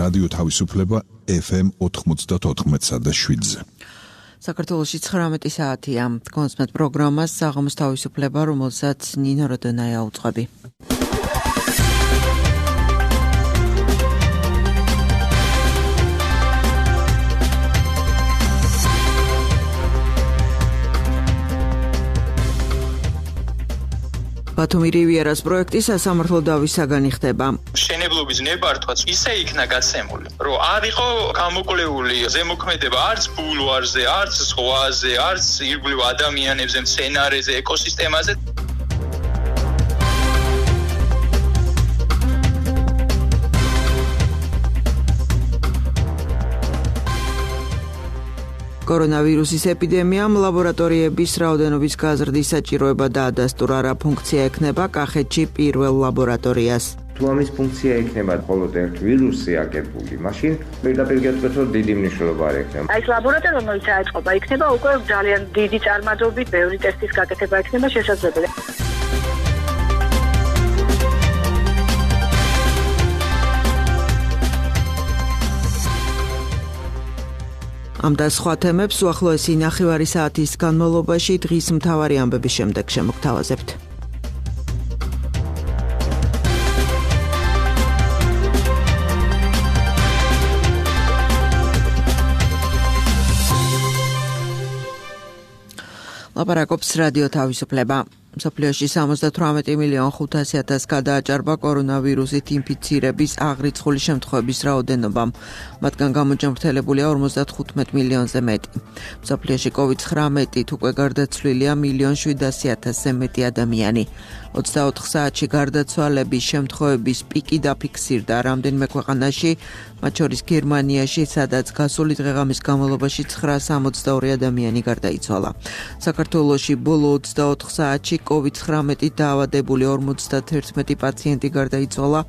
რადიო თავისუფლება FM 94.7-ზე. საქართველოში 19 საათია. კონსმეთ პროგრამას საღამოს თავისუფლება, რომელსაც ნინო როდონაია უძღვები. ბათუმი რივიერას პროექტი სასამართლო დავისაგანი ხდება. მშენებლობის ნებართვაც ისე იქნა გაცემული, რომ არ იყო გამოკვლეული ზემოქმედება არც ბულვარზე, არც ზღვაზე, არც ირგვლივ ადამიანებზე, მცენარეზე, ეკოსისტემაზე. კორონავირუსის ეპიდემიამ ლაბორატორიების რაოდენობის გაზრდის საჭიროება დაადასტურა, რა ფუნქცია ექნება კახეთში პირველ ლაბორატორიას. თუ ამის ფუნქცია ექნება მხოლოდ ერთ ვირუსზე აგებული, მაშინ პირდაპირ გეტყვით, რომ დიდი მნიშვნელობა არ ექნება. აი ეს ლაბორატორია, რომელიც აწყობა, იქნება უკვე ძალიან დიდი წარმადობით, ბევრი ტესტის გაკეთება იქნება შესაძლებელი. ამ და სხვა თემებს უახლოესი ნახევარი საათის განმავლობაში დღის მთავარი ამბების შემდეგ შემოგთავაზებთ. ლაპარაკობს რადიო თავისუფლება. მსოფლიოში 78,500,000 გადააჭარბა კორონავირუსით ინფიცირების აღრიცხული შემთხვევების რაოდენობამ. მათგან გამოჯამრთელებულია 55 მილიონზე მეტი. მსოფლიოში COVID-19 უკვე გარდაცვლილია 1,700,000-ზე მეტი ადამიანი. 24 საათში გარდაცვალების შემთხვევების პიკი დაფიქსირდა რამდენიმე ქვეყანაში, მათ შორის გერმანიაში, სადაც გასული დღეღამის განმავლობაში 962 ადამიანი გარდაიცვალა. საქართველოში ბოლო 24 საათში COVID-19 დაავადებული 51 პაციენტი გარდაიცვალა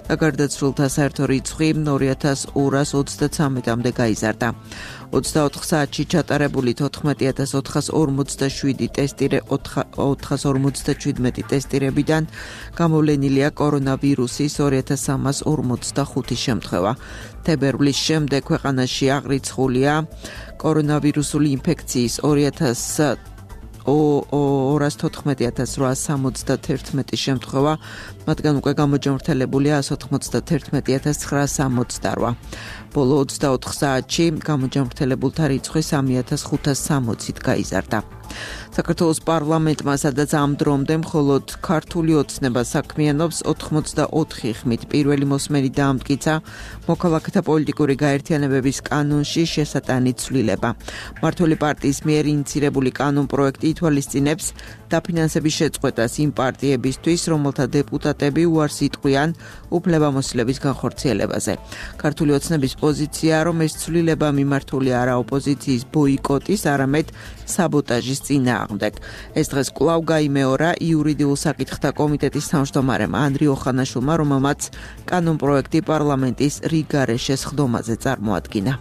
და გარდაცვლილთა საერთო რიცხვი 2233-მდე გაიზარდა. 24 საათში ჩატარებული 14,447 ტესტირებიდან გამოვლენილია კორონავირუსის 2345 შემთხვევა. თებერვლის შემდეგ ქვეყანაში აღრიცხულია კორონავირუსული ინფექციის 214,871 შემთხვევა, მათგან უკვე გამოჯამრთელებულია 191,968. ბოლო 24 საათში გამოჯამრთელებულთა რიცხვი 3,560-ით გაიზარდა. საქართველოს პარლამენტმა, სადაც ამ დრომდე მხოლოდ ქართული ოცნება საქმიანობს, 84 ხმით პირველი მოსმენი დაამტკიცა მოქალაქეთა პოლიტიკური გაერთიანებების კანონში შესატანი ცვლილება. მმართველი პარტიის მიერ ინიცირებული კანონ პროექტი ითვალისწინებს დაფინანსების შეწყვეტას იმ პარტიებისთვის, რომელთა დეპუტატები უარს იტყვიან უფლებამოსილების განხორციელებაზე. ქართული ოცნების პოზიცია, რომ ეს ცვლილება მიმართული არა ოპოზიციის ბოიკოტის, არამედ საბოტაჟის წინააღმდეგ. ეს დღეს კვლავ გაიმეორა იურიდიულ საკითხთა კომიტეტის თავმჯდომარემ ანდრიო ხანაშვილმა, რომელმაც კანონ პროექტი პარლამენტის რიგარეშეს ხდომაზე წარმოადგინა.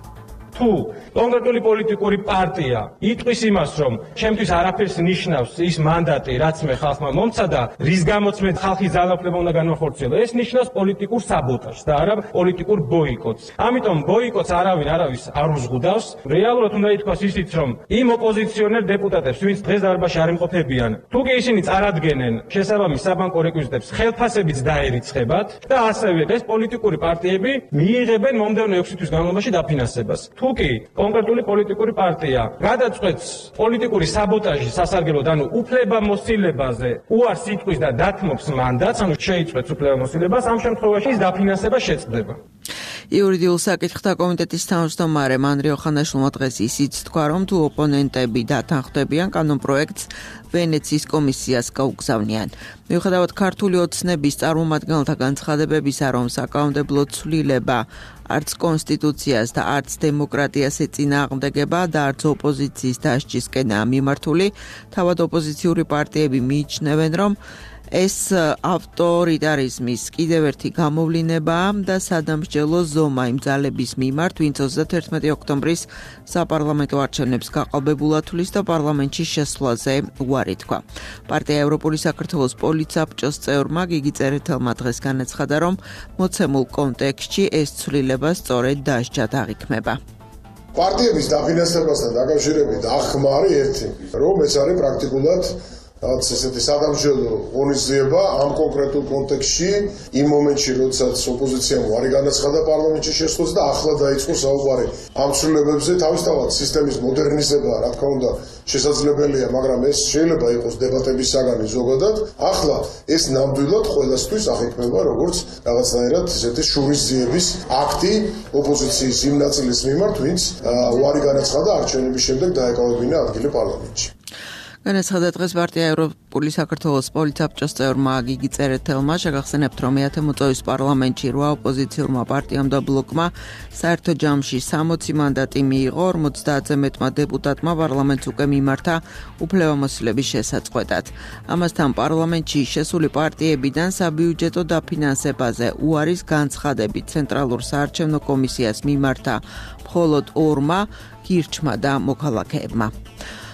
თუ კონკრეტული პოლიტიკური პარტია იტყვის იმას, რომ ჩემთვის არაფერს ნიშნავს ის მანდატი, რაც მე ხალხმა მომცა და რის გამოც მე ხალხის ძალაუფლება უნდა განვახორციელო, ეს ნიშნავს პოლიტიკურ საბოტაჟს და არა პოლიტიკურ ბოიკოტს. ამიტომ ბოიკოტს არავის არ უზღუდავს. რეალურად უნდა ითქვას ისიც, რომ იმ ოპოზიციონერ დეპუტატებს, ვინც დღეს დარბაზში არ იმყოფებიან, თუ კი ისინი წარადგენენ შესაბამის საბანკო რეკვიზიტებს, ხელფასებიც დაერიცხებათ და ასევე ეს პოლიტიკური პარტიები მიიღებენ მომდევნო 6 თვის განმავლობაში დაფინანსებას. თუ კი კონკრეტული პოლიტიკური პარტია გადაწყვეტს პოლიტიკური საბოტაჟის სასარგებლოდ, ანუ უფლებამოსილებაზე უარს იტყვის და დათმობს მანდატს, ანუ შეიწყვეტს უფლებამოსილებას, ამ შემთხვევაში ის დაფინანსება შეწყდება. იურიდიულ საკითხთა კომიტეტის თავმჯდომარემ ანდრიო ხანაშვილმა დღეს ისიც თქვა, რომ თუ ოპონენტები დათანხმდებიან კანონ პროექტს, ვენეციის კომისიას გაუგზავნიან. მიუხედავად ქართული ოცნების წარმომადგენელთა განცხადებებისა, რომ საკანონმდებლო ცვლილება არც კონსტიტუციას და არც დემოკრატიას ეწინააღმდეგება და არც ოპოზიციის დასჯისკენაა მიმართული, თავად ოპოზიციური პარტიები მიიჩნევენ, რომ ეს ავტორიტარიზმის კიდევ ერთი გამოვლინებაა და სადამსჯელო ზომა იმ ძალების მიმართ, ვინც 31 ოქტომბრის საპარლამენტო არჩევნებს გაყალბებულად თulis და პარლამენტში შესვლაზე უარი თქვა. პარტია ევროპული საქართველოს პოლიცაბჭოს წევრმა გიგი წერეთელმა დღეს განაცხადა, რომ მოცემულ კონტექსტში ეს ცვლილება სწორედ დასჯად აღიქმება. პარტიების დაფინანსებასთან დაკავშირებით ახმარი ერთი, რომ ეს არის პრაქტიკულად რაც ესეთი სადამსჯელო ღონისძიება ამ კონკრეტულ კონტექსტში იმ მომენტში, როდესაც ოპოზიციამ უარი განაცხადა პარლამენტში შესვლას და ახლა დაიწყო საუბარი ამ ცვლილებებზე. თავისთავად სისტემის მოდერნიზება, რა თქმა უნდა, შესაძლებელია, მაგრამ ეს შეიძლება იყოს დებატების საგანი ზოგადად. ახლა ეს ნამდვილად ყველასთვის აღიქმება როგორც რაღაცნაირად ესეთი შურისძიების აქტი ოპოზიციის იმ ნაწილის მიმართ, ვინც უარი განაცხადა არჩევნების შემდეგ დაეკავებინა ადგილი პარლამენტში. განაცხადა დღეს პარტია ევროპული საქართველოს პოლიცაბჭოს წევრმა გიგი წერეთელმა, შეგახსენებთ, რომ მეათე მოწვევის პარლამენტში 8 ოპოზიციურმა პარტიამ და ბლოკმა საერთო ჯამში 60 მანდატი მიიღო, 50-ზე მეტმა დეპუტატმა პარლამენტს უკვე მიმართა უფლებამოსილების შესაწყვეტად. ამასთან პარლამენტში შესული პარტიებიდან საბიუჯეტო დაფინანსებაზე უარის განცხადებით ცენტრალურ საარჩევნო კომისიას მიმართა მხოლოდ 2-მა გირჩმა და მოქალაქეებმა.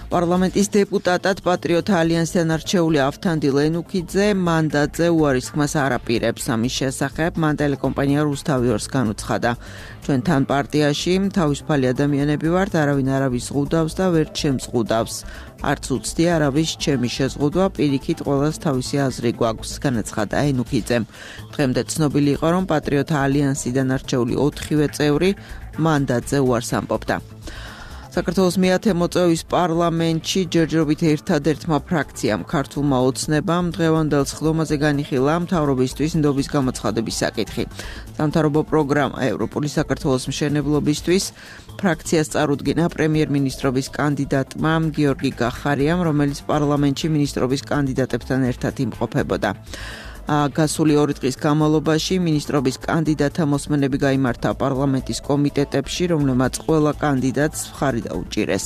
პარლამენტის დეპუტატად პატრიოტთა ალიანსიდან არჩეული ავთანდილ ენუქიძე მანდატზე უარის ხმას არ აპირებს. ამის შესახებ მან ტელეკომპანია რუსთავი 2-ს განუცხადა. ჩვენთან პარტიაში თავისუფალი ადამიანები ვართ, არავინ არავის ზღუდავს და ვერ შემზღუდავს. არც უცდი არავის ჩემი შეზღუდვა, პირიქით ყველას თავისი აზრი გვაქვს, განაცხადა ენუქიძემ. დღემდე ცნობილი იყო, რომ პატრიოტთა ალიანსიდან არჩეული 4-ვე წევრი მანდატზე უარს ამბობდა. საქართველოს მეათე მოწვევის პარლამენტში ჯერჯერობით ერთადერთმა ფრაქციამ ქართულმა ოცნებამ დღევანდელ სხდომაზე განიხილა მთავრობისთვის ნდობის გამოცხადების საკითხი. სამთავრობო პროგრამა ევროპული საქართველოს მშენებლობისთვის ფრაქციას წარუდგინა პრემიერ-მინისტრობის კანდიდატმა გიორგი გახარიამ, რომელიც პარლამენტში მინისტრობის კანდიდატებთან ერთად იმყოფებოდა. გასული 2 დღის განმავლობაში მინისტრობის კანდიდატთა მოსმენები გაიმართა პარლამენტის კომიტეტებში, რომლებმაც ყველა კანდიდატს მხარი დაუჭირეს.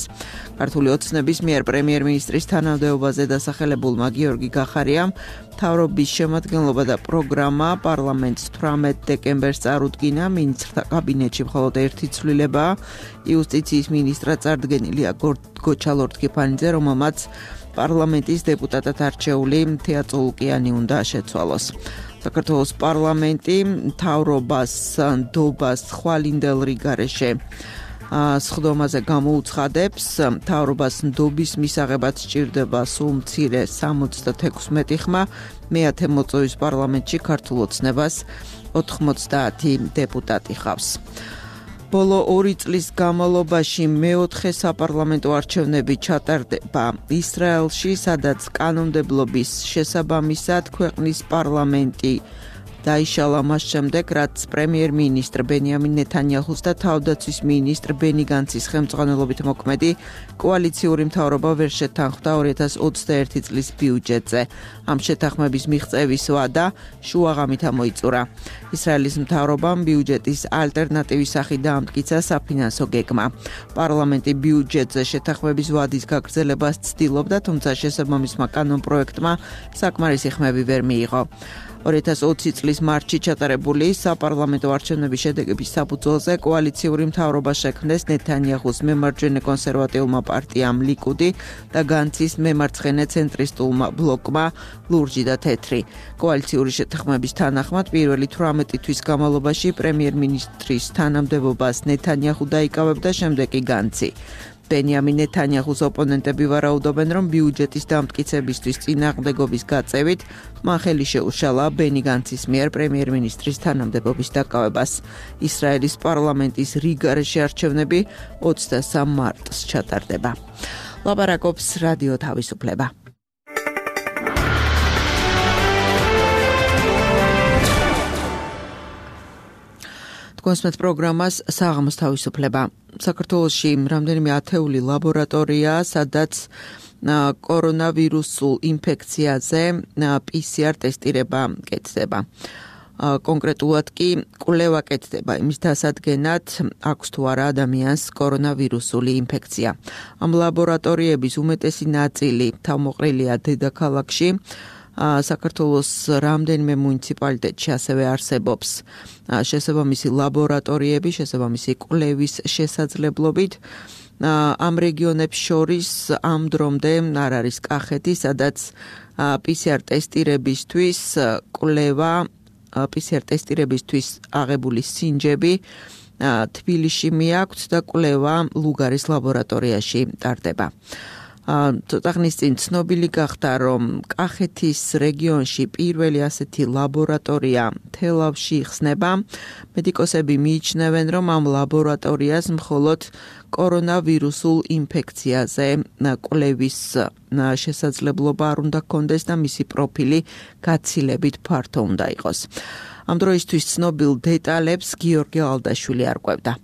ქართული ოცნების მიერ პრემიერ-მინისტრის თანამდებობაზე დასახელებულმა გიორგი გახარიამ მთავრობის შემადგენლობა და პროგრამა პარლამენტს 18 დეკემბერს წარუდგინა. მინისტრთა კაბინეტში მხოლოდ ერთი ცვლილებაა. იუსტიციის მინისტრად წარდგენილია გოჩა ლორთქიფანიძე, რომელმაც პარლამენტის დეპუტატად არჩეული თეა წოლუკიანი უნდა შეცვალოს. საქართველოს პარლამენტი მთავრობას ნდობას ხვალინდელ რიგარეშე სხდომაზე გამოუცხადებს. მთავრობას ნდობის მისაღებად სჭირდება სულ მცირე 76 ხმა. მეათე მოწვევის პარლამენტში ქართულ ოცნებას 90 დეპუტატი ხავს. ბოლო 2 წლის განმავლობაში მეოთხე საპარლამენტო არჩევნები ჩატარდება ისრაელში, სადაც კანონმდებლობის შესაბამისად ქვეყნის პარლამენტი დაიშალა მას შემდეგ, რაც პრემიერ-მინისტრ ბენიამინ ნეთანიაჰუს და თავდაცვის მინისტრ ბენი განცის ხელმძღვანელობით მოქმედი კოალიციური მთავრობა ვერ შეთანხმდა 2021 წლის ბიუჯეტზე. ამ შეთანხმების მიღწევის ვადა შუაღამით ამოიწურა. ისრაელის მთავრობამ ბიუჯეტის ალტერნატივის სახით დაამტკიცა საფინანსო გეგმა. პარლამენტი ბიუჯეტზე შეთანხმების ვადის გაგრძელებას ცდილობდა, თუმცა შესაბამისმა კანონპროექტმა საკმარისი ხმები ვერ მიიღო. 2020 წლის მარტში ჩატარებული საპარლამენტო არჩევნების შედეგების საფუძველზე კოალიციური მთავრობა შექმნეს ნეთანიაჰუს მემარჯვენე კონსერვატიულმა პარტიამ ლიკუდი და განცის მემარცხენე ცენტრისტულმა ბლოკმა ლურჯი და თეთრი. კოალიციური შეთანხმების თანახმად პირველი 18 თვის განმავლობაში პრემიერ-მინისტრის თანამდებობას ნეთანიაჰუ დაიკავებდა, შემდეგ კი განცი. ბენიამინ ნეთანიაჰუს ოპონენტები ვარაუდობენ, რომ ბიუჯეტის დამტკიცებისთვის წინააღმდეგობის გაწევით მან ხელი შეუშალა ბენი განცის მიერ პრემიერ-მინისტრის თანამდებობის დაკავებას. ისრაელის პარლამენტის რიგარეშე არჩევნები 23 მარტს ჩატარდება. ლაპარაკობს რადიო თავისუფლება. კონსმეთ პროგრამას საღამოს თავისუფლება. საქართველოში რამდენიმე ათეული ლაბორატორია, სადაც კორონავირუსულ ინფექციაზე PCR ტესტირება კეთდება. კონკრეტულად კი კვლევა კეთდება იმის დასადგენად, აქვს თუ არა ადამიანს კორონავირუსული ინფექცია. ამ ლაბორატორიების უმეტესი ნაწილი თავმოყრილია დედაქალაქში. საქართველოს რამდენიმე მუნიციპალიტეტში ასევე არსებობს შესაბამისი ლაბორატორიები, შესაბამისი კვლევის შესაძლებლობით. ამ რეგიონებს შორის ამ დრომდე არ არის კახეთი, სადაც PCR ტესტირებისთვის კვლევა, PCR ტესტირებისთვის აღებული სინჯები თბილისში მიაქვთ და კვლევა ლუგარის ლაბორატორიაში ტარდება. ცოტა ხნის წინ ცნობილი გახდა, რომ კახეთის რეგიონში პირველი ასეთი ლაბორატორია თელავში იხსნება. მედიკოსები მიიჩნევენ, რომ ამ ლაბორატორიას მხოლოდ კორონავირუსულ ინფექციაზე კვლევის შესაძლებლობა არ უნდა ჰქონდეს და მისი პროფილი გაცილებით ფართო უნდა იყოს. ამ დროისთვის ცნობილ დეტალებს გიორგი ალდაშვილი არკვევდა.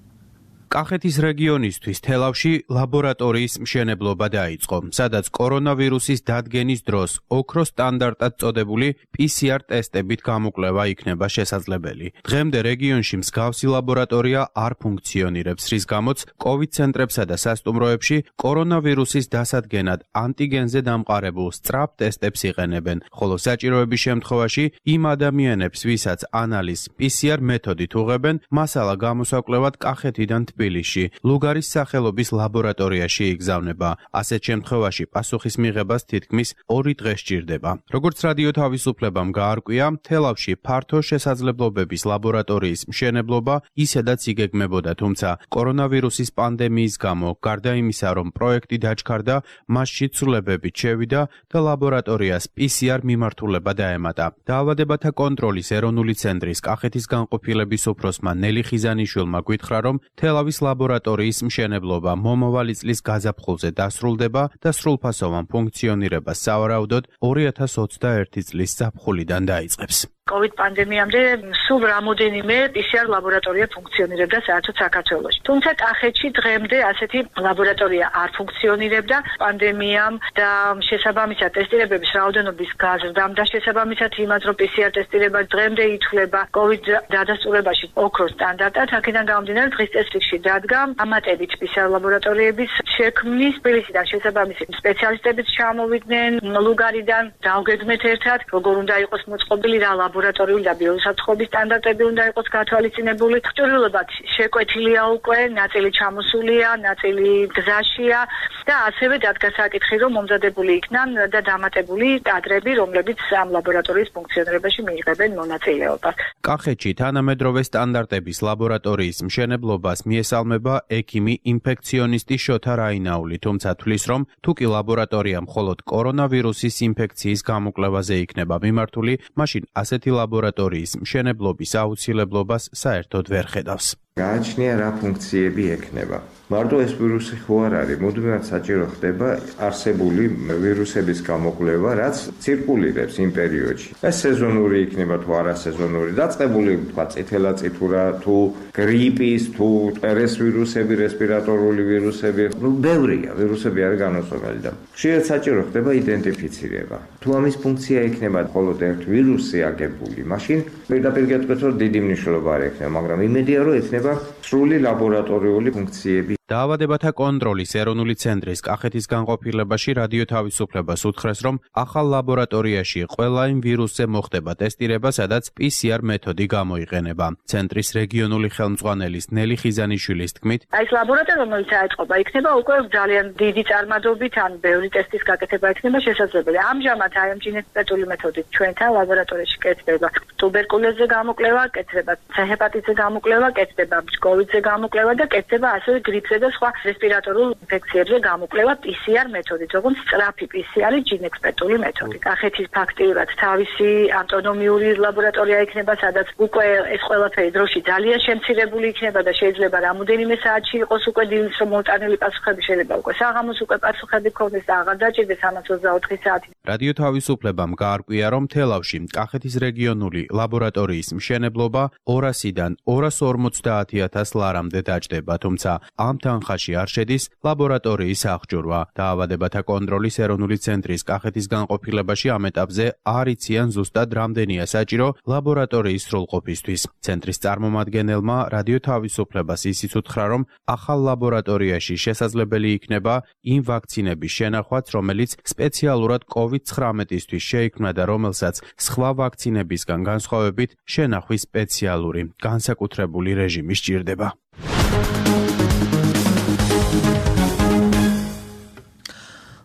კახეთის რეგიონისთვის თელავში ლაბორატორიის მშენებლობა დაიწყო, სადაც კორონავირუსის დადგენის დროს ოქროს სტანდარტად წოდებული PCR ტესტებით გამოკვლევა იქნება შესაძლებელი. დღემდე რეგიონში მსგავსი ლაბორატორია არ ფუნქციონირებს, რის გამოც COVID ცენტრებსა და სასტუმროებში კორონავირუსის დასადგენად ანტიგენზე დამყარებულ სწრაფ ტესტებს იყენებენ, ხოლო საჭიროების შემთხვევაში იმ ადამიანებს, ვისაც ანალიზ PCR მეთოდით უღებენ, მასალა გამოსაკვლევად კახეთიდან თბილისში, ლუგარის სახელობის ლაბორატორიაში იგზავნება. ასეთ შემთხვევაში პასუხის მიღებას თითქმის 2 დღე სჭირდება. როგორც რადიო თავისუფლებამ გაარკვია, თელავში ფართო შესაძლებლობების ლაბორატორიის მშენებლობა ისედაც იგეგმებოდა, თუმცა კორონავირუსის პანდემიის გამო, გარდა იმისა, რომ პროექტი დაჩქარდა, მასში ცვლილებებით შევიდა და ლაბორატორიას PCR მიმართულება დაემატა. დაავადებათა კონტროლის ეროვნული ცენტრის კახეთის განყოფილების უფროსმა ნელი ხიზანიშვილმა გითხრა, რომ თელავის ლაბორატორიის მშენებლობა მომავალი წლის გაზაფხულზე დასრულდება და სრულფასოვან ფუნქციონირებას სავარაუდოდ 2021 წლის ზაფხულიდან დაიწყებს. COVID პანდემიამდე სულ რამოდენიმე PCR ლაბორატორია ფუნქციონირებდა საერთოდ საქართველოში. თუმცა კახეთში დღემდე ასეთი ლაბორატორია არ ფუნქციონირებდა პანდემიამ და შესაბამისად ტესტირებების რაოდენობის გაზრდამ და შესაბამისად იმას, რომ PCR ტესტირება დღემდე ითვლება COVID დადასტურებაში ოქროს სტანდარტად, აქედან გამომდინარე დღის წესრიგში დადგა ამატებით PCR ლაბორატორიების შექმნის თბილისიდან შესაბამისი სპეციალისტებიც ჩამოვიდნენ ლუგარიდან დავგეგმეთ ერთად, როგორ უნდა იყოს მოწყობილი რა ლაბორატორიული და ბიოსაფრთხობის სტანდარტები უნდა იყოს გათვალისწინებული. ჭრილობად შეკვეთილია უკვე, ნაწილი ჩამოსულია, ნაწილი გზაშია და ასევე დადგა საკითხი, რომ მომზადებული იქნან და დამატებული კადრები, რომლებიც ამ ლაბორატორიის ფუნქციონირებაში მიიღებენ მონაწილეობას. კახეთში თანამედროვე სტანდარტების ლაბორატორიის მშენებლობას მიესალმება ექიმი ინფექციონისტი შოთა რაინაული, თუმცა თვლის, რომ თუკი ლაბორატორია მხოლოდ კორონავირუსის ინფექციის გამოკვლევაზე იქნება მიმართული, მაშინ ასეთი ლაბორატორიის მშენებლობის აუცილებლობას საერთოდ ვერ ხედავს. გააჩნია რა ფუნქციები ექნება. მარტო ეს ვირუსი ხო არ არის, მუდმივად საჭირო ხდება არსებული ვირუსების გამოკვლევა, რაც ცირკულირებს იმ პერიოდში. ეს სეზონური იქნება თუ არასეზონური, დაწყებული თქვა წითელაწითურა, თუ გრიპის, თუ ტერეს ვირუსები, რესპირატორული ვირუსები, ბევრია, ვირუსები არის განუწყვეტელი და ხშირად საჭირო ხდება იდენტიფიცირება. თუ ამის ფუნქცია იქნება მხოლოდ ერთ ვირუსზე აგებული, მაშინ პირდაპირ გეტყვით, რომ დიდი მნიშვნელობა არ ექნება, მაგრამ იმედია, რომ ექნება სრული ლაბორატორიული ფუნქციები. დაავადებათა კონტროლის ეროვნული ცენტრის კახეთის განყოფილებაში რადიო თავისუფლებას უთხრეს, რომ ახალ ლაბორატორიაში ყველა იმ ვირუსზე მოხდება ტესტირება, სადაც PCR მეთოდი გამოიყენება. ცენტრის რეგიონული ხელმძღვანელის ნელი ხიზანიშვილის თქმით, ეს ლაბორატორია, რომელიც აეწყობა, იქნება უკვე ძალიან დიდი წარმადობით, ან ბევრი ტესტის გაკეთება იქნება შესაძლებელი. ამჟამად აი ამ ჯინეტიკური მეთოდით ჩვენთან ლაბორატორიაში კეთდება ტუბერკულოზზე გამოკვლევა, კეთდება C-ჰეპატიტზე გამოკვლევა, კეთდება COVID-ზე გამოკვლევა და კეთდება ასევე გრიპზე და სხვა რესპირატორულ ინფექციებზე გამოკვლევა PCR მეთოდით, როგორც სწრაფი PCR ჯინეტიკური მეთოდი. კახეთის ფაქტიურად თავისი ავტონომიური ლაბორატორია იქნება, სადაც უკვე ეს ყველაფერი დროში ძალიან შემცირებული იქნება და შეიძლება რამოდენიმე საათში იყოს უკვე დილის რომ მოტანილი პასუხები, შეიძლება უკვე საღამოს უკვე პასუხები ქონდეს და აღარ დაჭირდეს 124 საათი. რადიო თავისუფლებამ გაარკვია, რომ თელავში კახეთის რეგიონული ლაბორატორიის მშენებლობა 200-დან 250,000 ლარამდე დაჭდება, თუმცა ამ თანხაში არ შედის ლაბორატორიის აღჭურვა. დაავადებათა კონტროლის ეროვნული ცენტრის კახეთის განყოფილებაში ამ ეტაპზე არ იციან ზუსტად რამდენია საჭირო ლაბორატორიის სრულყოფისთვის. ცენტრის წარმომადგენელმა რადიო თავისუფლებას ისიც უთხრა, რომ ახალ ლაბორატორიაში შესაძლებელი იქნება იმ ვაქცინების შენახვაც, რომელიც სპეციალურად COVID-19-ისთვის შეიქმნა და რომელსაც სხვა ვაქცინებისგან განსხვავებით შენახვის სპეციალური, განსაკუთრებული რეჟიმი სჭირდება.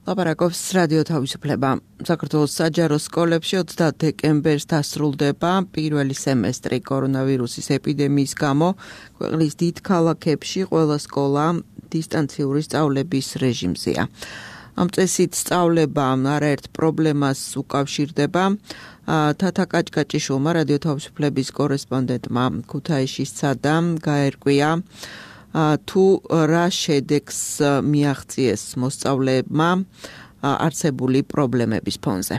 ლაპარაკობს რადიო თავისუფლება. საქართველოს საჯარო სკოლებში 30 დეკემბერს დასრულდება პირველი სემესტრი კორონავირუსის ეპიდემიის გამო. ქვეყნის დიდ ქალაქებში ყველა სკოლა დისტანციური სწავლების რეჟიმზეა. ამ წესით სწავლება არაერთ პრობლემას უკავშირდება. თათა კაჭკაჭიშვილმა რადიო თავისუფლების კორესპონდენტმა ქუთაისში სცადა გაერკვია თუ რა შედეგს მიაღწიეს მოსწავლეებმა არსებული პრობლემების ფონზე.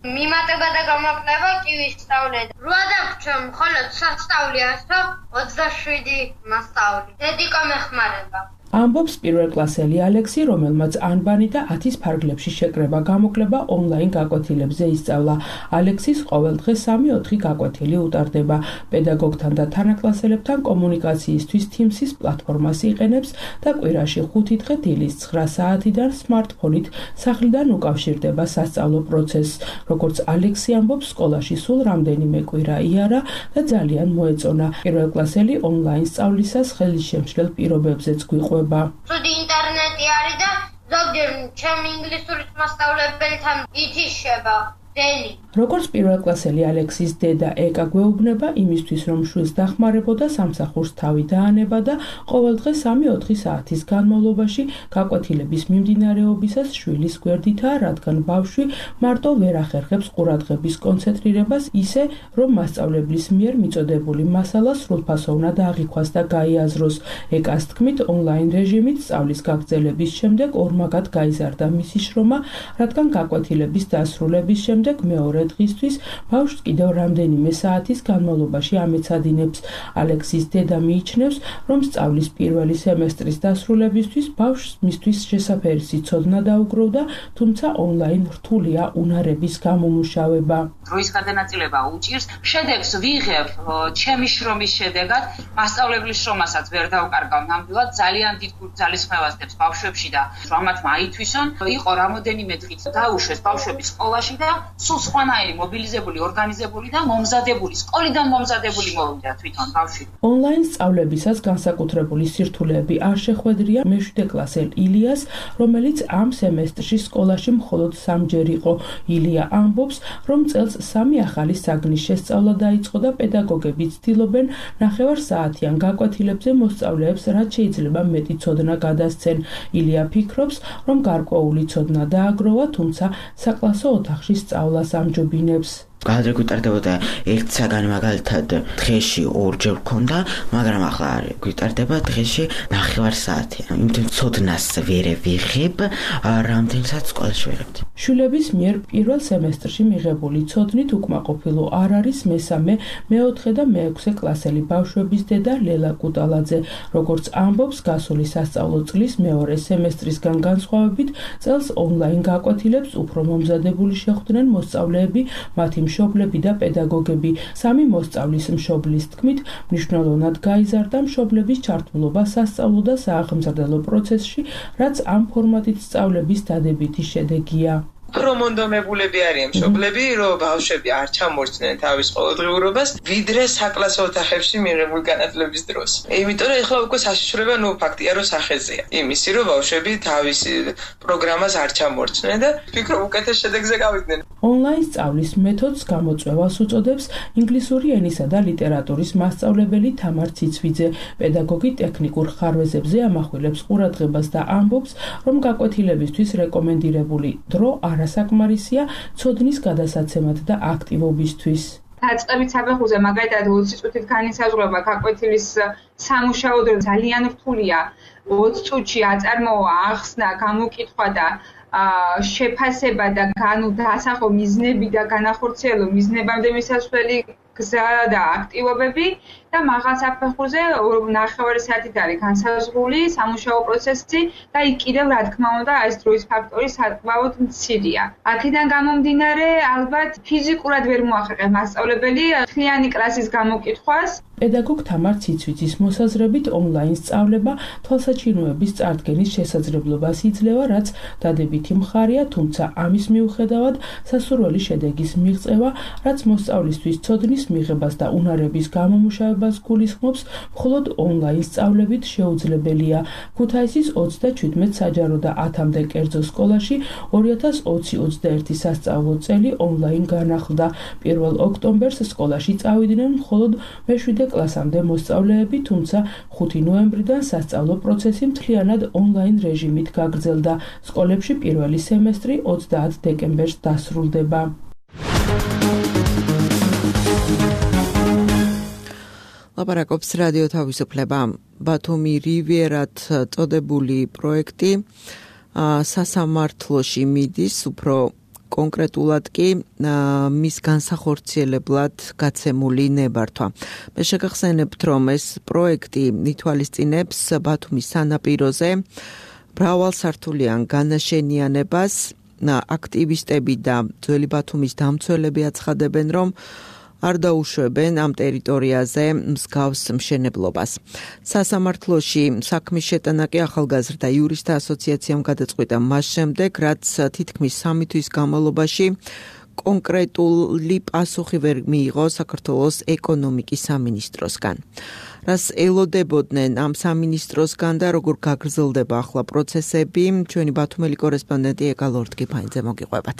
მიმატება და გამოკვლევა კი ვისწავლეთ. 8 დაგვრჩა, მხოლოდ სასწავლი ასო 27 მასწავლი. დედიკო მეხმარება. ამბობს პირველკლასელი ალექსი, რომელმაც ანბანი და 10-ის ფარგლებში შეკრება გამოკვლევა ონლაინ გაკვეთილებზე ისწავლა. ალექსის ყოველდღე 3-4 გაკვეთილი უტარდება. პედაგოგთან და თანაკლასელებთან კომუნიკაციისთვის Teams-ის პლატფორმას იყენებს და კვირაში 5 დღე დილის 9 საათიდან სმარტფონით სახლიდან უკავშირდება სასწავლო პროცესს. როგორც ალექსი ამბობს, სკოლაში სულ რამდენიმე კვირა იარა და ძალიან მოეწონა. პირველკლასელი ონლაინ სწავლისას ხელისშემშლელ პირობებზეც გვიყვება. ცუდი ინტერნეტი არის და ზოგჯერ ჩემი ინგლისურის მასწავლებელთან ითიშება. როგორც პირველკლასელი ალექსის დედა ეკა გვეუბნება იმისთვის, რომ შვილს დახმარებოდა, სამსახურს თავი დაანება და ყოველდღე 3-4 საათის განმავლობაში გაკვეთილების მიმდინარეობისას შვილის გვერდითაა, რადგან ბავშვი მარტო ვერ ახერხებს ყურადღების კონცენტრირებას ისე, რომ მასწავლებლის მიერ მიწოდებული მასალა სრულფასოვნად აღიქვას და გაიაზროს. ეკას თქმით, ონლაინ რეჟიმით სწავლის გაგრძელების შემდეგ ორმაგად გაიზარდა მისი შრომა, რადგან გაკვეთილების დასრულების შემდეგ მეორე დღისთვის ბავშვს კიდევ რამდენიმე საათის განმავლობაში ამეცადინებს. ალექსის დედა მიიჩნევს, რომ სწავლის პირველი სემესტრის დასრულებისთვის ბავშვს მისთვის შესაფერისი ცოდნა დაუგროვდა, თუმცა ონლაინ რთულია უნარების გამომუშავება. დროის გადანაწილება უჭირს, შედეგს ვიღებ ჩემი შრომის შედეგად, მასწავლებლის შრომასაც ვერ დავკარგავ ნამდვილად, ძალიან დიდ ძალისხმევას დებს ბავშვებში და ამათ მაითვისონ, იყო რამოდენიმე დღით დაუშვეს ბავშვები სკოლაში და სულ სხვანაირი მობილიზებული, ორგანიზებული და მომზადებული, სკოლიდან მომზადებული მოვიდა თვითონ ბავშვი. ონლაინ სწავლებისას განსაკუთრებული სირთულეები არ შეხვედრია მე-7 კლასელ ილიას, რომელიც ამ სემესტრში სკოლაში მხოლოდ 3-ჯერ იყო. ილია ამბობს, რომ წელს 3 ახალი საგნის შესწავლა დაიწყო და პედაგოგები ცდილობენ 9 საათიან გაკვეთილებზე მოსწავლეებს რაც შეიძლება მეტი ცოდნა გადასცენ. ილია ფიქრობს, რომ გარკვეული ცოდნა დააგროვა, თუმცა საკლასო ოთახში სწავლას ამჯობინებს. გადაგ გვიტარდებოდა 1 საგანი მაგალითად დღეში 2-ჯერ გქონდა, მაგრამ ახლა არ გვიტარდება დღეში 9 საათი. იმიტომ ცოდნას ვერ ვიღებ, რამდენსაც სკოლაში ვიღებთ. შვილების მიერ პირველ სემესტრში მიღებული ცოდნით უკმაყოფილო არ არის მესამე, მე-4 და მე-6 კლასელი ბავშვების დედა ლელა კუტალაძე. როგორც ამბობს, გასული სასწავლო წლის მეორე სემესტრისგან განსხვავებით, წელს ონლაინ გაკვეთილებს უფრო მომზადებული შეხვდნენ მოსწავლეები, მათი მშობლები და პედაგოგები. 3 მოსწავლის მშობლის თქმით, მნიშვნელოვნად გაიზარდა მშობლების ჩართულობა სასწავლო და სააღმზრდელო პროცესში, რაც ამ ფორმატით სწავლების დადებითი შედეგია. უფრო მონდომებულები არიან მშობლები, რომ ბავშვები არ ჩამორჩნენ თავის ყოველდღიურობას, ვიდრე საკლასო ოთახებში მიღებული განათლების დროს. იმიტომ რომ ეხლა უკვე საშიშრება ფაქტია, რომ სახეზეა. იმისი, რომ ბავშვები თავის პროგრამას არ ჩამორჩნენ და ვფიქრობ, უკეთეს შედეგზე გავიდნენ. ონლაინ სწავლის მეთოდს გამოწვევას უწოდებს ინგლისური ენისა და ლიტერატურის მასწავლებელი თამარ ციცვიძე. პედაგოგი ტექნიკურ ხარვეზებზე ამახვილებს ყურადღებას და ამბობს, რომ გაკვეთილებისთვის რეკომენდირებული დრო არასაკმარისია ცოდნის გადასაცემად და აქტივობისთვის. დაწყებით საფეხურზე მაგალითად 20 წუთით განისაზღვრება გაკვეთილის სამუშაო დრო ძალიან რთულია. 20 წუთში აწარმოა, ახსნა, გამოკითხვა და შეფასება და დასახო მიზნები და განახორციელო მიზნებამდე მისასვლელი გზა და აქტივობები და მაღალ საფეხურზე 9 საათით არის განსაზღვრული სამუშაო პროცესი და იქ კიდევ რა თქმა უნდა ეს დროის ფაქტორი საკმაოდ მცირეა. აქედან გამომდინარე ალბათ ფიზიკურად ვერ მოახერხებს მასწავლებელი მთლიანი კლასის გამოკითხვას. პედაგოგ თამარ ციცვიძის მოსაზრებით ონლაინ სწავლება თვალსაჩინოების წარდგენის შესაძლებლობას იძლევა, რაც დადებითი მხარეა, თუმცა ამის მიუხედავად სასურველი შედეგის მიღწევა, რაც მოსწავლისთვის ცოდნის მიღებას და უნარების გამომუშავებას გულისხმობს, მხოლოდ ონლაინ სწავლებით შეუძლებელია. ქუთაისის 37 საჯარო და 10-მდე კერძო სკოლაში 2020-21 სასწავლო წელი ონლაინ განახლდა. 1 ოქტომბერს სკოლაში წავიდნენ მხოლოდ მე-7 კლასამდე მოსწავლეები, თუმცა 5 ნოემბრიდან სასწავლო პროცესი მთლიანად ონლაინ რეჟიმით გაგრძელდა. სკოლებში პირველი სემესტრი 30 დეკემბერს დასრულდება. ლაპარაკობს რადიო თავისუფლება. ბათუმი რივიერად წოდებული პროექტი სასამართლოში მიდის, უფრო კონკრეტულად კი მის განსახორციელებლად გაცემული ნებართვა. მე შეგახსენებთ, რომ ეს პროექტი ითვალისწინებს ბათუმის სანაპიროზე მრავალსართულიან განაშენიანებას. აქტივისტები და ძველი ბათუმის დამცველები აცხადებენ, რომ არ დაუშვებენ ამ ტერიტორიაზე მსგავს მშენებლობას. სასამართლოში საქმის შეტანა კი ახალგაზრდა იურისტთა ასოციაციამ გადაწყვიტა მას შემდეგ, რაც თითქმის 3 თვის განმავლობაში კონკრეტული პასუხი ვერ მიიღო საქართველოს ეკონომიკის სამინისტროსგან. რას ელოდებოდნენ ამ სამინისტროსგან და როგორ გაგრძელდება ახლა პროცესები, ჩვენი ბათუმელი კორესპონდენტი ეკა ლორდგიფაინძე მოგიყვებათ.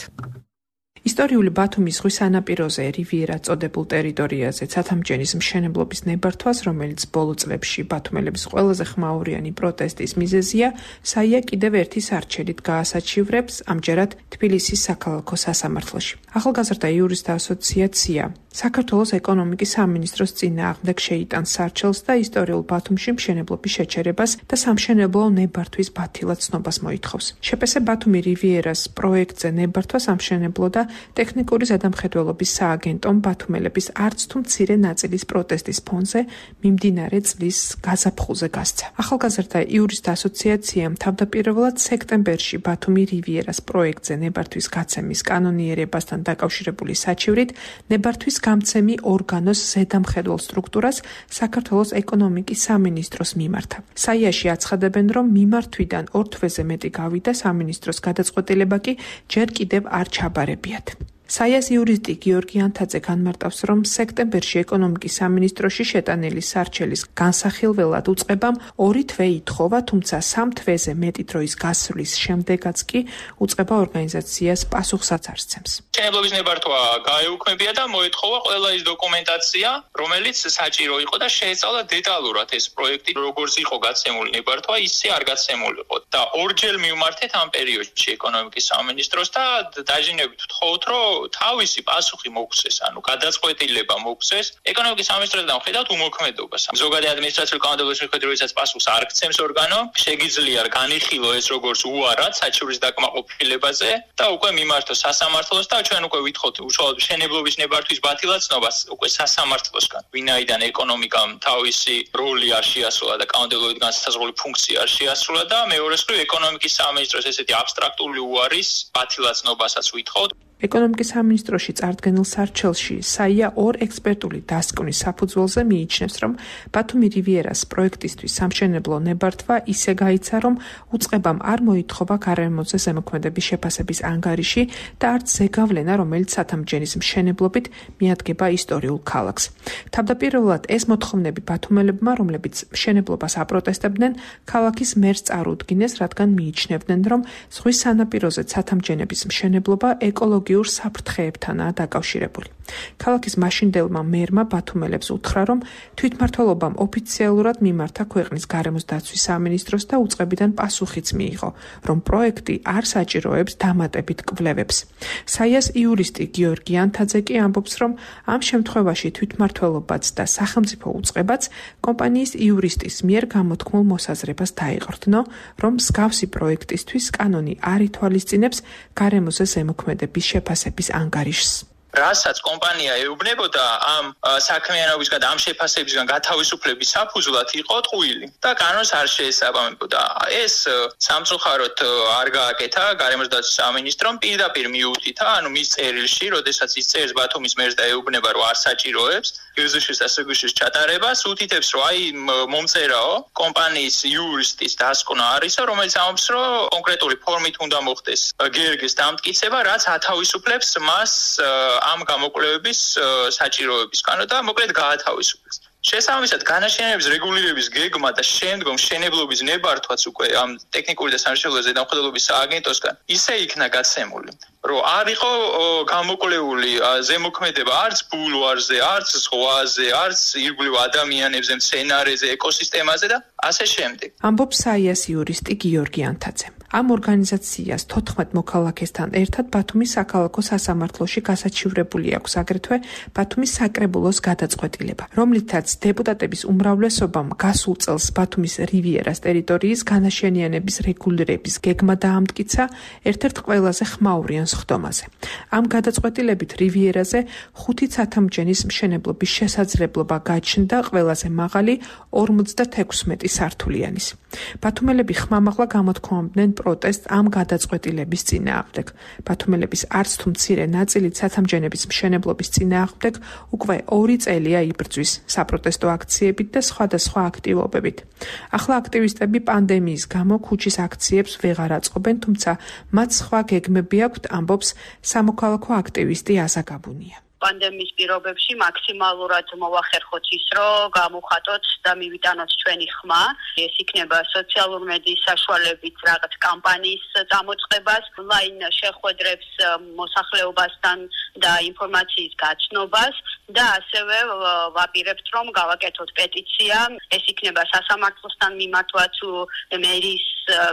ისტორიული ბათუმის ზღვის სანაპიროზე რივიერა წოდებულ ტერიტორიაზე ცათამბჯენის მშენებლობის ნებართვას, რომელიც ბოლო წლებში ბათუმელების ყველაზე ხმაურიანი პროტესტის მიზეზია, საია კიდევ ერთი სარჩელით გაასაჩივრებს ამჯერად თბილისის საქალაქო სასამართლოში. ახალგაზრდა იურისტთა ასოციაცია საქართველოს ეკონომიკის სამინისტროს წინააღმდეგ შეიტანს სარჩელს და ისტორიულ ბათუმში მშენებლობის შეჩერებას და სამშენებლო ნებართვის ბათილად ცნობას მოითხოვს. შეპს ბათუმი რივიერას პროექტზე ნებართვა სამშენებლო და ტექნიკური ზედამხედველობის სააგენტომ ბათუმელების არც თუ მცირე ნაწილის პროტესტის ფონზე მიმდინარე წლის გაზაფხულზე გასცა. ახალგაზრდა იურისტთა ასოციაციამ თავდაპირველად სექტემბერში ბათუმი რივიერას პროექტზე ნებართვის გაცემის კანონიერებასთან დაკავშირებული საჩივრით ნებართვის გამცემი ორგანოს ზედამხედველ სტრუქტურას საქართველოს ეკონომიკის სამინისტროს მიმართა. საიაში აცხადებენ, რომ მიმართვიდან 2 თვეზე მეტი გავიდა, სამინისტროს გადაწყვეტილება კი ჯერ კიდევ არ ჩაბარებიათ. საიას იურისტი გიორგი ანთაძე განმარტავს, რომ სექტემბერში ეკონომიკის სამინისტროში შეტანილი სარჩელის განსახილველად უწყებამ 2 თვე ითხოვა, თუმცა 3 თვეზე მეტი დროის გასვლის შემდეგაც კი უწყება ორგანიზაციას პასუხსაც არ სცემს. მშენებლობის ნებართვა გაეუქმებია და მოეთხოვა ყველა ის დოკუმენტაცია, რომელიც საჭირო იყო და შეეცალა დეტალურად ეს პროექტი, როგორც იყო გაცემული ნებართვა, ისე არ გაცემულიყო. და ორჯერ მივმართეთ ამ პერიოდში ეკონომიკის სამინისტროს და დაჟინებით ვთხოვთ, რომ თავისი პასუხი მოგცეს, ანუ გადაწყვეტილება მოგცეს. ეკონომიკის სამინისტროსთან ხედავთ უმოქმედობას. ზოგადი ადმინისტრაციული კანონმდებლობის მიხედვით, როდესაც პასუხს არ გცემს ორგანო, შეგიძლია განიხილო ეს როგორც უარად საჩივრის დაკმაყოფილებაზე და უკვე მიმართოს სასამართლოს და ჩვენ უკვე ვითხოვთ უშუალოდ მშენებლობის ნებართვის ბათილად ცნობას უკვე სასამართლოსგან. ვინაიდან ეკონომიკამ თავისი როლი არ შეასრულა და კანონმდებლობით განსაზღვრული ფუნქცია არ შეასრულა და მეორეს მხრივ ეკონომიკის სამინისტროს ესეთი აბსტრაქტული უარის ბათილად ცნობასაც ვითხოვთ. ეკონომიკის სამინისტროში წარდგენილ სარჩელში საია 2 ექსპერტული დასკვნის საფუძველზე მიიჩნევს, რომ ბათუმი რივიერას პროექტისთვის სამშენებლო ნებართვა ისე გაიცა, რომ უწყებამ არ მოითხოვა გარემოზე ზემოქმედების შეფასების ანგარიში და არც ზეგავლენა, რომელიც ცათამბჯენის მშენებლობით მიადგება ისტორიულ ქალაქს. თავდაპირველად ეს მოთხოვნები ბათუმელებმა, რომლებიც მშენებლობას აპროტესტებდნენ, ქალაქის მერს წარუდგინეს, რადგან მიიჩნევდნენ, რომ ზღვის სანაპიროზე ცათამბჯენების მშენებლობა ეკოლოგიურ საფრთხეებთანაა დაკავშირებული. ქალაქის მაშინდელმა მერმა ბათუმელებს უთხრა, რომ თვითმმართველობამ ოფიციალურად მიმართა ქვეყნის გარემოს დაცვის სამინისტროს და უწყებიდან პასუხიც მიიღო, რომ პროექტი არ საჭიროებს დამატებით კვლევებს. საიას იურისტი გიორგი ანთაძე კი ამბობს, რომ ამ შემთხვევაში თვითმმართველობაც და სახელმწიფო უწყებაც კომპანიის იურისტის მიერ გამოთქმულ მოსაზრებას დაიყრდნო, რომ მსგავსი პროექტისთვის კანონი არ ითვალისწინებს გარემოზე ზემოქმედების შეფასების ანგარიშს. რასაც კომპანია ეუბნებოდა ამ საქმიანობისგან, ამ შეფასებისგან გათავისუფლების საფუძვლად იყო ტყუილი და კანონს არ შეესაბამებოდა. ეს სამწუხაროდ არ გააკეთა გარემოს დაცვის სამინისტრომ პირდაპირ მიუთითა, ანუ მის წერილში, როდესაც ის წერს ბათუმის მერს და ეუბნება, რომ არ საჭიროებს გზშ-ის და სგშ-ის ჩატარებას, უთითებს, რომ აი მომწერაო კომპანიის იურისტის დასკვნა არისო, რომელიც ამბობს, რომ კონკრეტული ფორმით უნდა მოხდეს გერგის დამტკიცება, რაც ათავისუფლებს მას ამ გამოკვლევების საჭიროებისგან და მოკლედ გაათავისუფლებს. შესაბამისად, განაშენების რეგულირების გეგმა და შემდგომ მშენებლობის ნებართვაც უკვე ამ ტექნიკური და სამშენებლო ზედამხედველობის სააგენტოსგან ისე იქნა გაცემული, რომ არ იყო გამოკვლეული ზემოქმედება არც ბულვარზე, არც ზღვაზე, არც ირგვლივ ადამიანებზე, მცენარეზე, ეკოსისტემაზე და ასე შემდეგ. ამბობს საიას იურისტი გიორგი ანთაძე. ამ ორგანიზაციას 14 მოქალაქესთან ერთად ბათუმის საქალაქო სასამართლოში გასაჩივრებული აქვს აგრეთვე ბათუმის საკრებულოს გადაწყვეტილება, რომლითაც დეპუტატების უმრავლესობამ გასულ წელს ბათუმის რივიერას ტერიტორიის განაშენიანების რეგულირების გეგმა დაამტკიცა ერთ-ერთ ყველაზე ხმაურიან სხდომაზე. ამ გადაწყვეტილებით რივიერაზე 5 ცათამბჯენის მშენებლობის შესაძლებლობა გაჩნდა ყველაზე მაღალი 56 სართულიანის. ბათუმელები ხმამაღლა გამოთქვამდნენ პროტესტ ამ გადაწყვეტილების წინააღმდეგ. ბათუმელების არც თუ მცირე ნაწილი ცათამბჯენების მშენებლობის წინააღმდეგ უკვე 2 წელია იბრძვის საპროტესტო აქციებით და სხვადასხვა აქტივობებით. ახლა აქტივისტები პანდემიის გამო ქუჩის აქციებს ვეღარ აწყობენ, თუმცა მათ სხვა გეგმები აქვთ, ამბობს სამოქალაქო აქტივისტი აზა გაბუნია. პანდემიის პირობებში მაქსიმალურად მოვახერხოთ ის, რომ გამოვხატოთ და მივიტანოთ ჩვენი ხმა. ეს იქნება სოციალურ მედიის საშუალებით რაღაც კამპანიის წამოწყებას, ონლაინ შეხვედრებს მოსახლეობასთან და ინფორმაციის გაცნობას და ასევე ვაპირებთ, რომ გავაკეთოთ პეტიცია. ეს იქნება სასამართლოსთან მიმართვა თუ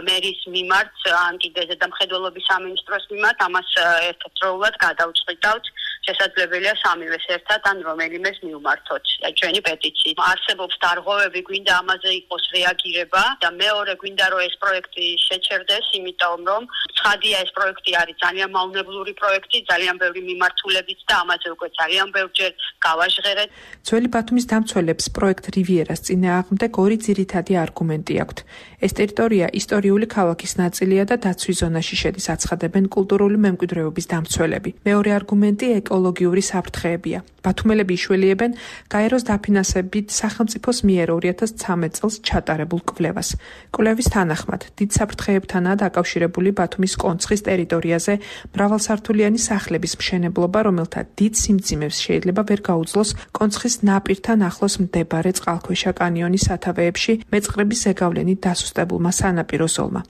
მერის მიმართ, ან კიდე ზედამხედველობის სამინისტროს მიმართ, ამას ერთდროულად გადავწყვიტავთ. შესაძლებელია სამივეს ერთად ან რომელიმეს მივმართოთ ჩვენი პეტიციით. არსებობს დარღვევები, გვინდა ამაზე იყოს რეაგირება და მეორე გვინდა რომ ეს პროექტი შეჩერდეს, იმიტომ რომ ცხადია ეს პროექტი არის ძალიან მავნებლური პროექტი, ძალიან ბევრი მიმართულებით და ამაზე უკვე ძალიან ბევრჯერ გავაჟღერეთ. ძველი ბათუმის დამცველებს პროექტ რივიერას წინააღმდეგ 2 ძირითადი არგუმენტი აქვთ. ეს ტერიტორია ისტორიული ქალაქის ნაწილია და დაცვის ზონაში შედის, აცხადებენ კულტურული მემკვიდრეობის დამცველები. მეორე არგუმენტი ეკოლოგიური საფრთხეებია. ბათუმელები იშველიებენ გაეროს დაფინანსებით სახელმწიფოს მიერ 2013 წელს ჩატარებულ კვლევას. კვლევის თანახმად, დიდ საფრთხეებთანაა დაკავშირებული ბათუმის კონცხის ტერიტორიაზე მრავალსართულიანი სახლების მშენებლობა, რომელთა დიდ სიმძიმეს შეიძლება ვერ გაუძლოს კონცხის ნაპირთან ახლოს მდებარე წყალქვეშა კანიონის სათავეებში მეწყრების ზეგავლენით დასუსტებულმა სანაპირო ზოლმა.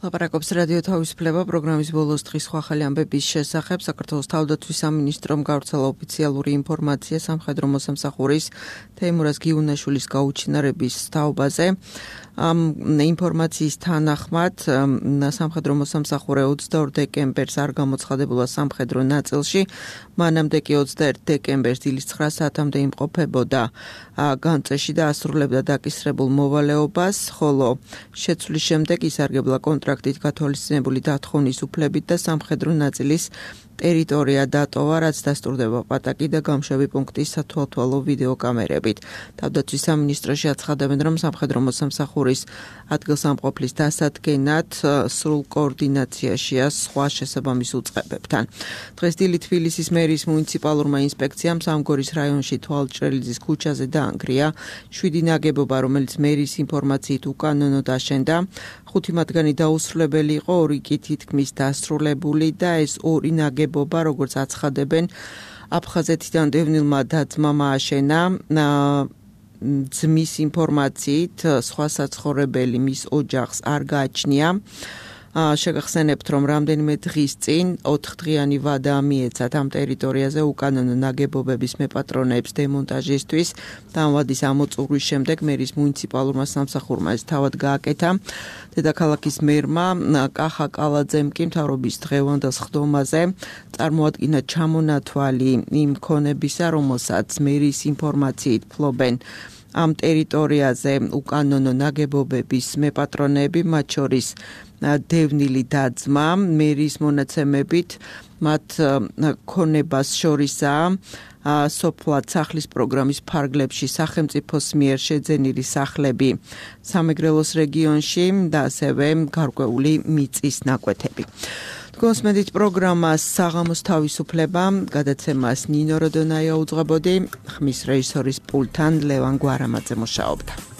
ლაპარაკობს რადიო თავისუფლება პროგრამის ბოლოს დღის სხვა ხალი ამბების შესახებ. საქართველოს თავდაცვის სამინისტრომ გავრცელა ოფიციალური ინფორმაცია სამხედრო მოსამსახურის თეიმურაზ გიუნაშვილის გაუჩინარების თაობაზე. ამ ინფორმაციის თანახმად სამხედრო მოსამსახურე 22 დეკემბერს არ გამოცხადებულა სამხედრო ნაწილში, მანამდე კი 21 დეკემბერს დილის 9 საათამდე იმყოფებოდა განწეში და ასრულებდა დაკისრებულ მოვალეობას, ხოლო შეცვლის შემდეგ ისარგებლა კონტრაქტით გათვალისწინებული დათხოვნის უფლებით და სამხედრო ნაწილის ტერიტორია დატოვა, რაც დასტურდება პატაკი და გამშვები პუნქტის სათვალთვალო ვიდეოკამერებით. თავდაცვის სამინისტროში აცხადებენ, რომ სამხედრო მოსამსახურის ადგილსამყოფლის დასადგენად სრულ კოორდინაციაშია სხვა შესაბამის უწყებებთან. დღეს დილით თბილისის მერის მუნიციპალურმა ინსპექციამ სამგორის რაიონში თვალჭრელიძის ქუჩაზე დაანგრია 7 ნაგებობა, რომელიც მერის ინფორმაციით უკანონო დაშენდა. 5 მათგანი დაუსრულებელი იყო, 2 კი თითქმის დასრულებული და ეს 2 ნაგებობა, როგორც აცხადებენ, აფხაზეთიდან დევნილმა და-ძმამ ააშენა. ძმის ინფორმაციით სხვა საცხოვრებელი მის ოჯახს არ გააჩნია. შეგახსენებთ, რომ რამდენიმე დღის წინ 4-დღიანი ვადა მიეცათ ამ ტერიტორიაზე უკანონო ნაგებობების მეპატრონეებს დემონტაჟისთვის. ამ ვადის ამოწურვის შემდეგ მერის მუნიციპალურმა სამსახურმა ეს თავად გააკეთა. დედაქალაქის მერმა კახა კალაძემ კი მთავრობის დღევანდელ სხდომაზე წარმოადგინა ჩამონათვალი იმ ქონებისა, რომელსაც მერის ინფორმაციით ფლობენ ამ ტერიტორიაზე უკანონო ნაგებობების მეპატრონეები, მათ შორის დევნილი დაძმა, მერის მონაცემებით მათ ქონებას შორისაა სოფლად სახლის პროგრამის ფარგლებში სახელმწიფოს მიერ შეძენილი სახლები სამეგრელოს რეგიონში და ასევე გარკვეული მიწის ნაკვეთები. Თქვენს პროგრამას საღამოს თავისუფლება გადაცემას ნინო როდონაია უძღვებოდი, ხმის რეჟისორის პულტთან ლევან გვარამაძე მუშაობდა.